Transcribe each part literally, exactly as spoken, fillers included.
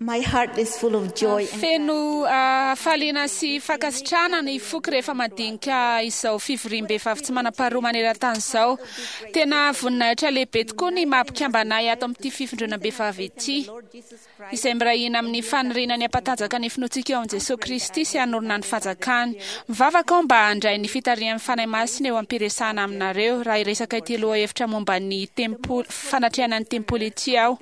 My heart is full of joy and Feno ah, hafaliana sy fankasitrahana ny foko rehefa mandinika izao fivoriam-behivavy tsy manam-paharoa maneran-tany izao. Tena voninahitra lehibe tokoa ny maha-mpikambana ahy ato amin'ity fivondronam-behivavy ity, izay miray hina amin'ny faniriana ny hampatanjaka ny finoantsika eo amin'i Jesoa Kristy sy hanorina ny fanjakany. Mivavaka aho mba handray ny fitarihan'ny Fanahy Masina eo am-piresahana aminareo raha hiresaka ity lohahevitra momba ny tempoly, fanatrehana ny tempoly ity aho.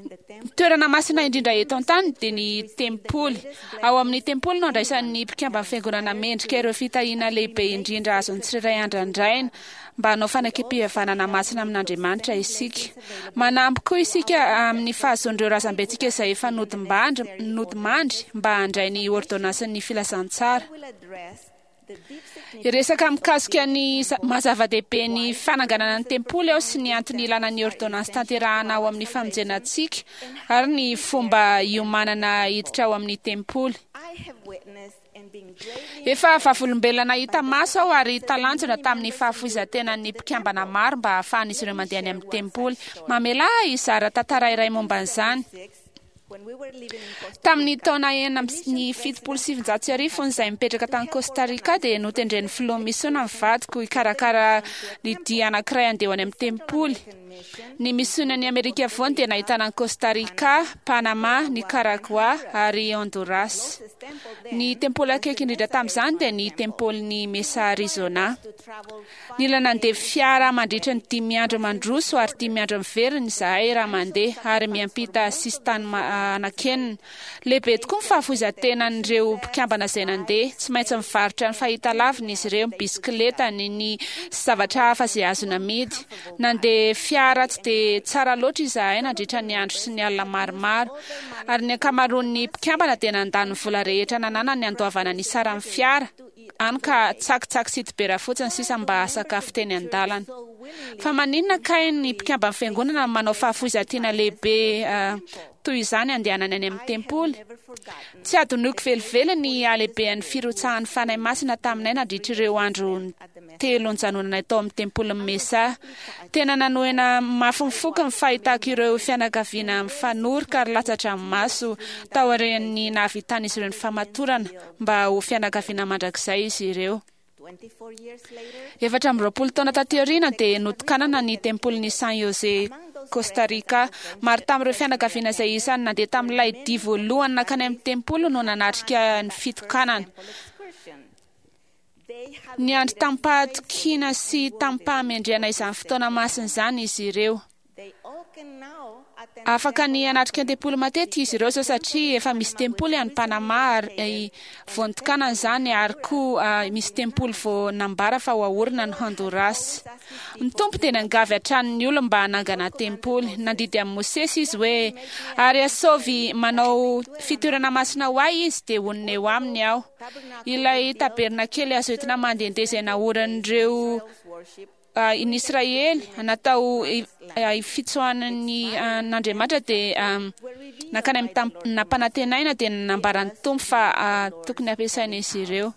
Ny toerana masina indrindra eto an-tany dia ny tempoly. Ao amin'ny tempoly no andraisan'ny mpikamban'ny fiangonana mendrika ireo fitahiana lehibe indrindra azon'ny tsirairay andrandraina mba hanao fanekempihavanana masina amin'Andriamanitra isika. Manampy koa isika amin'ny fahazoan'ireo razambentsika izay efa nodimbandry, nodimandry mba handray ny ôrdônansin'ny filazantsara. will address the deep Hiresaka mikasika ny za- maha zava-dehibe ny fananganana ny tempoly aho sy ny antony ilana ny ôrdônansy tanterahana ao amin'ny famonjena antsika ary ny fomba hiomanana hiditra ao amin'ny tempoly. I have witnessed and been greatly Efa vavolombelona nahita maso aho ary talanjona tamin'ny fahafoizan-tenan'ny mpikambana maro mba hahafahan'izy ireo mandeha any amin'ny tempoly. Mamela ahy hizara tantara iray momba an'izany. six when we were living in Costa Tamin'ny taona enina amby ny fitopolo sy sivinjato sy arivo fony izahay mipetraka tany Costa Rica dia notendren'ny filoha misiona ny vadiko hikarakara ny dia anankiray handeha ho any amin'ny tempoly. Ny misionan'ny Amerika Afovoany dia nahitana an'i Costa Rica, Panama, Nicaragua ary Honduras. Ny tempoly akaiky indrindra tamin'izany dia ny tempolin'i Mesa Arizona. to travel Nila nandeha fiara mandritra ny dimy andro mandroso ary dimy andro miverina izahay raha mandeha ary miampita sisintany ma- anankenina. Lehibe tokoa ny fahafoizan-tenan'ireo mpikambana izay nandeha. Tsy maintsy mivarotra ny fahitalaviny izy ireo, ny bisikletany, ny zavatra hafa izay azo namidy. Nandeha fiara tsy dia tsara loatra izahay nandritra ny andro sy ny alina maromaro. Ary ny ankamaroan'ny mpikambana dia nandany ny vola rehetra nananany handoavana ny saran'ny fiara. Any ka tsakitsaky sy dibera fotsiny sisa mba sakafo teny an-dalana. Fa maninona kay ny mpikamban'ny fiangonana manao fahafoizan-tena lehibe ah, toy izany andehanany any amin'ny tempoly? never forgotten Tsy adinoiko velively ny halehiben'ny firotsahan'ny Fanahy Masina taminay nandritra ireo andro telo nijanonanay tao amin'ny tempolin'i Mesa. Tena nanohina mafy ny foko ny fahitako ireo fianakaviana mifanoroka ary latsa-dranomaso taorian'ny nahavitan'izy ireo ny famatorana mba ho fianakaviana mandrakizay izy ireo. twenty-four years later Efatra amby roapolo taona taty aoriana dia notokanana ny tempolin'i San Jose Costa Rica. Maro tamin'ireo fianakaviana izay isan'ny nandeha tamin'ilay dia voalohany nankany amin'ny tempoly no nanatrika ny fitokanana. excursion they had Niandry tamim-pahatokiana sy tamim-pahamendrehana izany fotoana masina izany izy ireo. they all can now attend Afaka ny hanatrika ny tempoly matetika izy ireo izao satria efa misy tempoly any Panama ary eh, vao notokanana izany ary koa ah, misy tempoly vao nambara fa ho aorina ny Honduras. Ny Tompo dia niangavy hatrany ny olona mba hanangana tempoly. Nandidy amin'i Mosesy izy hoe ary asaovy manao fitoerana masina ho ahy izy dia honina eo aminy aho. Ilay tabernakely azo entina mandehandeha izay naorin'ireo worship Ah, ny Israely natao i- ah, fitsoahan'ny an'Andriamanitra dia ah, nankany amin'ny tam- nampanantenaina dia nambaran'ny Tompo fa ah, tokony hampiasaina izy ireo.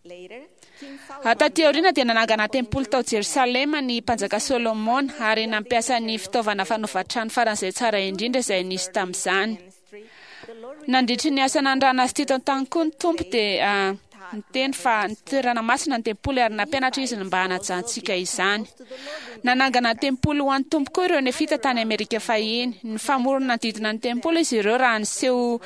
later King Ah, Taty aoriana dia nanangana tempoly tao Jerosalema ny mpanjaka Solomona ary nampiasa ny fitaovana fanaovan-trano faran'izay tsara indrindra izay nisy tamin'izany. ministry the Lord Nandritry ny asa nandrana azy teto an-tany koa ny Tompo dia ah, niteny fa ny toerana masina ny tempoly ary nampianatra izy ny mba hanajantsika izany. Nanangana tempoly ho an'ny Tompo koa ireo nefita tany Amerika fahiny. Ny famorona nanodidina ny tempoly izy ireo raha niseho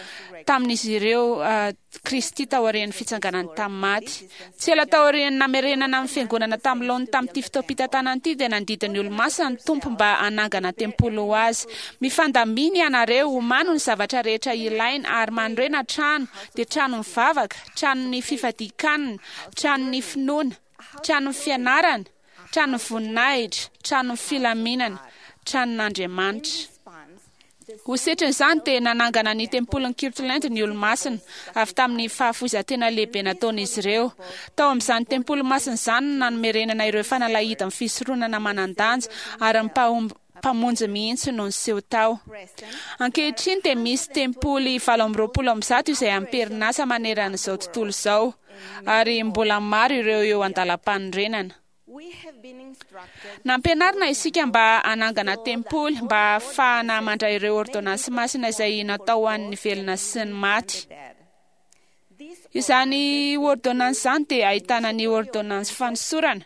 tamin'izy ireo ah, Kristy taorian'ny fitsanganany tamin'ny maty. Tsy ela taorian'ny namerenana amin'ny fiangonana tamin'ny laoniny tamin'ity fotoam-pitantanana ity dia nandidy ny olomasina ny Tompo mba hanangana tempoly ho azy. Mifandamina ianareo, omano ny zavatra rehetra ilaina ary manorena trano, dia trano mivavaka, tranon'ny fifadian-kanina, tranon'ny finoana, tranon'ny fianarana, tranon'ny voninahitra, tranon'ny filaminana, tranon'Andriamanitra. response the Ho setrin'izany dia nanangana ny tempolin'i Kirtland ny olomasina avy tamin'ny fahafoizan-tena lehibe nataon'izy ireo. Tao amin'izany tempoly masina izany no nanomerenana ireo fanalahidy amin'ny fisoronana manan-danja ary ny mpahomb- mpamonjy mihitsy no niseho tao. present Ankehitriny dia misy tempoly valo amby roapolo amby zato izay am-perinasa manerana izao tontolo izao ary mbola maro ireo eo an-dalam-panorenana. Nampianarina isika mba hanangana tempoly mba hahafahana mandray ireo ôrdônansy masina izay natao ho an'ny velona sy ny maty. Izany ôrdônansy izany dia ahitana ny ôrdônansy fanosorana,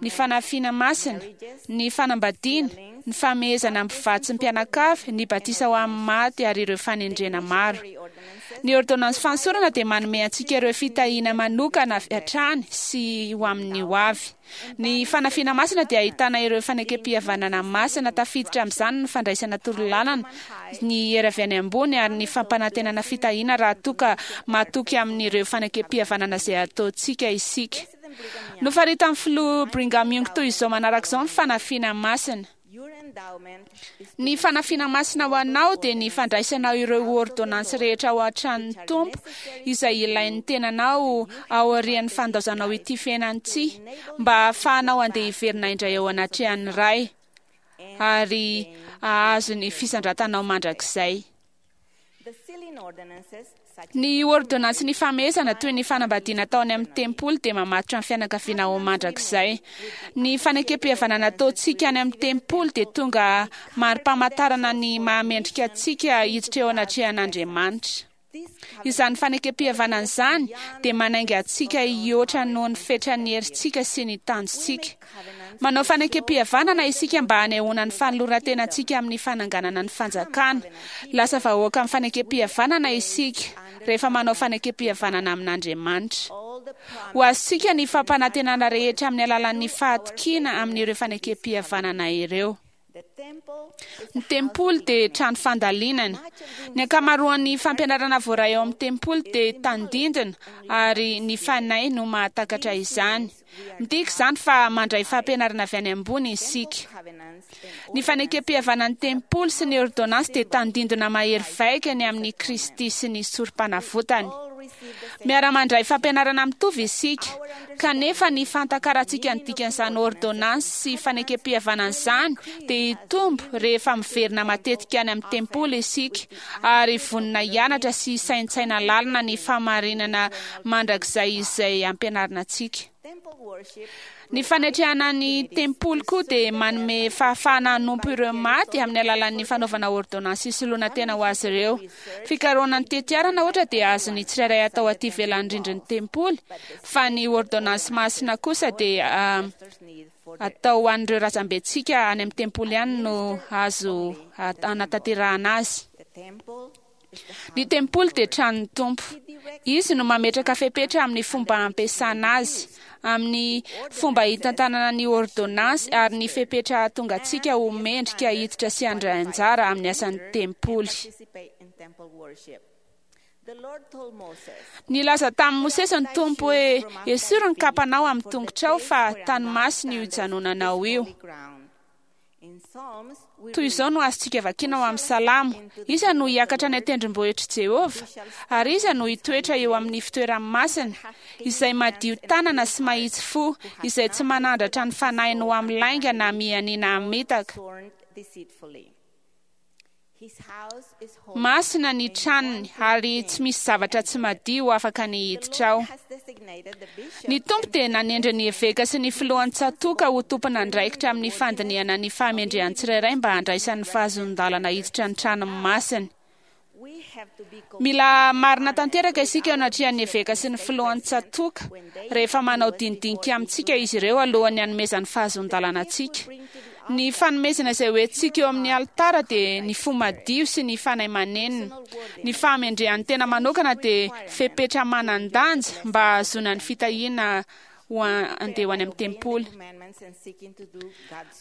ny fanafiana masina, ny fanambadiana, ny famehezana mpivady sy mpianakavy, ny batisa ho amin'ny maty ary ireo fanendrena maro. Ny ôrdônansy fanosorana dia manome antsika ireo fitahiana manokana avy hatrany sy ho amin'ny ho avy. Ny fanafiana masina dia ahitana ireo fanekem-pihavanana masina, tafiditra amin'izany ny fandraisana torolalana, ny hery avy any ambony ary ny fampanantenana fitahiana raha toa ka matoky amin'ireo fanekem-pihavanana izay ataontsika isika. Nofaritan'ny filoha Brigham Young toy izao manaraka izao ny fanafiana masina. Ny fanafiana masina ho anao dia ny fandraisanao ireo ôrdônansy rehetra ao an-tranon'ny Tompo izay ilain'ny tenanao aorian'ny fandaozanao ity fiainana ity mba hahafahanao handeha hiverina indray eo anatrehan'ny Ray ary hahazo ny fisandratanao mandrakizay. Ny ôrdônansy ny famehezana toy ny fanambadiana atao any amin'ny tempoly dia mamatotra ny fianakaviana ho mandrakizay. Ny fanekem-pihavanana ataontsika any amin'ny tempoly dia tonga mari-pamantarana ny mahamendrika antsika hiditra eo anatrehan'Andriamanitra. Izany fanekem-pihavanana izany dia manainga antsika hihoatra noho ny fetran'ny herintsika sy ny tanjontsika. Manao fanekem-pihavanana isika mba hanehoana ny fanoloran-tenantsika amin'ny fananganana ny fanjakana. Lasa vahoaka amin'ny fanekem-pihavanana isika rehefa manao fanekem-pihavanana amin'Andriamanitra. Ho azontsika ny fampanantenana rehetra amin'ny alalan'ny fahatokiana amin'ireo fanekem-pihavanana ireo. Ny tempoly dia trano fandalinana. Ny ankamaroan'ny fampianarana voaray ao amin'ny tempoly dia tandindona ary ny fanahy no mahatakatra izany. Midika izany fa mandray fampianarana avy any ambony isika. Ny fanekem-pihavanan'ny tempoly sy ny ôrdônansy dia tandindona mahery vaika ny amin'ny Kristy sy ny sorom-panavotany. Miara-mandray fampianarana mitovy isika, kanefa ny fahatakarantsika ny dikan'izany ôrdônansy sy fanekem-pihavanana izany dia hitombo rehefa miverina matetika any amin'ny tempoly isika ary vonona hianatra sy hisaintsaina lalina ny fahamarinana mandrakizay izay ampianarina antsika. Ny fanetrehana ny tempoly koa dia manome fahafahana hanompo ireo maty amin'ny alalan'ny fanaovana ôrdônansy hisoloana tena ho azy ireo. Fikarohana ny tetiarana ohatra dia azon'ny tsirairay atao aty ivelan'ny rindrin'ny tempoly, fa ny ôrdônansy masina kosa dia atao ho an'ireo razambentsika any amin'ny tempoly ihany no azo anatanterahana azy. Ny tempoly dia tranon'ny Tompo. Izy no mametraka fepetra amin'ny fomba ampiasana azy, amin'ny fomba hitantanana ny ôrdônansy ary ny fepetra hahatonga antsika ho mendrika hiditra sy handray anjara amin'ny asan'ny tempoly. Nilaza tamin'i Mosesy ny Tompo hoe, esory ny kapanao amin'ny tongotrao fa tany masina io ijanonanao io. Toy izao no azontsika vakiana ao amin'ny Salamo: Iza no hiakatra any an-tendrombohitr'i Jehovah? Ary iza no hitoetra eo amin'ny fitoerany masina? Izay madio tanana sy mahitsy fo, izay tsy manandratra ny fanahiny ho amin'ny lainga na mianiana hamitaka. Masina ny tranony ary tsy misy zavatra tsy madio afaka ny hiditra ao. Ny Tompo dia nanendry ny eveka sy ny filohan'ny tsatòka ho tompon'andraikitra amin'ny fandinihana ny fahamendrehan'ny tsirairay mba handraisany ny fahazoan-dalana hiditra ny tranony masina. Mila marina tanteraka isika eo anatrehan'ny eveka sy ny filohan'ny tsatòka rehefa manao dinidinika amintsika izy ireo alohan'ny hanomezany fahazoan-dalana antsika. Ny fanomezana izay hoentintsika eo amin'ny alitara dia ny fo madio sy ny fanahy manenina. Ny fahamendrehan'ny tena manokana dia fepetra manan-danja mba hahazoana ny fitahiana ho andeha ho any amin'ny tempoly.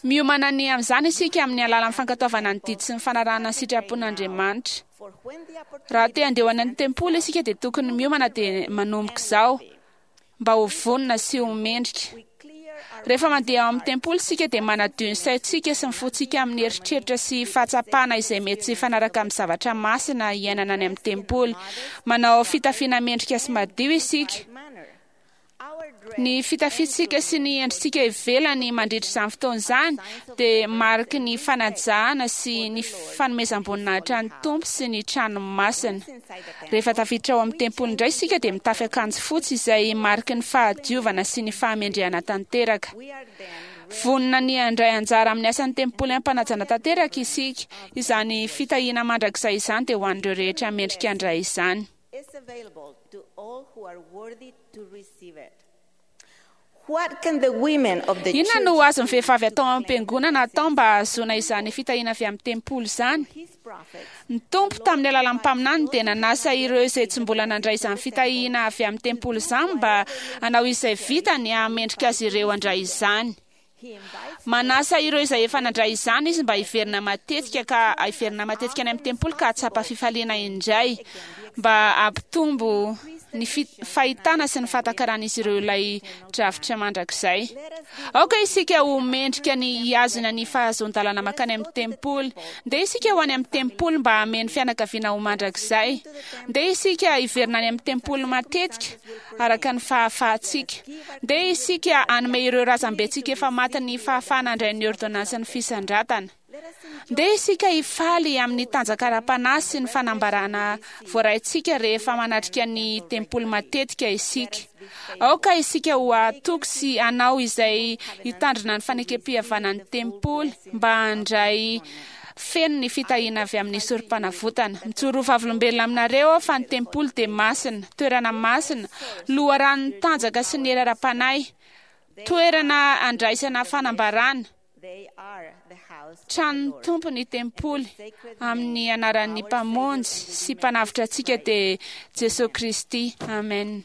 Miomana ny amin'izany isika amin'ny alalan'ny fankatoavana ny didy sy ny fanarahana ny sitrapon'Andriamanitra. Raha te handeha ho any amin'ny tempoly isika dia tokony miomana dia manomboka izao mba ho vonona sy ho mendrika. Rehefa mandeha ao amin'ny tempoly isika dia manadio ny saintsika sy ny fontsika amin'ny eritreritra sy fahatsapana izay mety tsy hifanaraka amin'ny zavatra masina iainana any amin'ny tempoly. Manao fitafiana mendrika sy madio isika. Ny fitafiantsika sy ny endritsika ivelany mandritra izany fotoana izany dia mariky ny fanajana sy ny fanomezam-boninahitra ny Tompo sy ny trano masina. Rehefa tafiditra ao amin'ny tempoly indray isika dia mitafy akanjo fotsy izay mariky ny fahadiovana sy ny fahamendrehana tanteraka. Vonona ny handray anjara amin'ny asan'ny tempoly am-panajana tanteraka isika. Izany fitahiana mandrakizay izany dia ho an'ireo rehetra mendrika handray izany. Is available to all who are worthy to receive it. What can the women of the Inona church no azon'ny vehivavy atao am-piangonana atao mba hahazoana izany fitahiana avy amin'ny tempoly izany? His prophets Ny Tompo tamin'ny alalan'ny mpaminany dia nanasa ireo izay tsy mbola nandray izany fitahiana avy amin'ny tempoly izany mba hanao izay vitany hahamendrika azy ireo handray izany. He invites Manasa ireo izay efa nandray izany izy mba hiverina matetika ka hiverina matetika any amin'ny tempoly ka hahatsapa fifaliana indray mba hampitombo ny fi- fahitana sy ny fahatakaran'izy ireo ilay drafitra mandrakizay. Aoka isika ho mendrika ny hihazona ny fahazoan-dalana mankany amin'ny tempoly. Ndeha isika ho any amin'ny tempoly mba hameno fianakaviana ho mandrakizay. Ndeha isika hiverina any amin'ny tempoly matetika araka ny fahafahantsika. Ndeha isika hanome ireo razambentsika efa maty ny fahafahana handray ny ordonansin'ny fisandratana. Ndeha isika hifaly amin'ny tanjaka ara-panahy sy ny fanambarana voaraintsika rehefa manatrika ny tempoly matetika isika. Aoka isika ho atoky sy hanao izay hitandrina ny fanekem-pihavanan'ny tempoly mba handray feno ny fitahiana avy amin'ny sorom-panavotana. Mijoro ho vavolombelona aminareo aho fa ny tempoly dia masina, toerana masina, loharanon'ny tanjaka sy ny hery ara-panahy, toerana andraisana fanambarana. They are the house of the Tranon'ny Lord. Tompo ny tempoly amin'ny anaran'ny Mpamonjy sy Mpanavotra antsika dia Jesosy Kristy. Amen.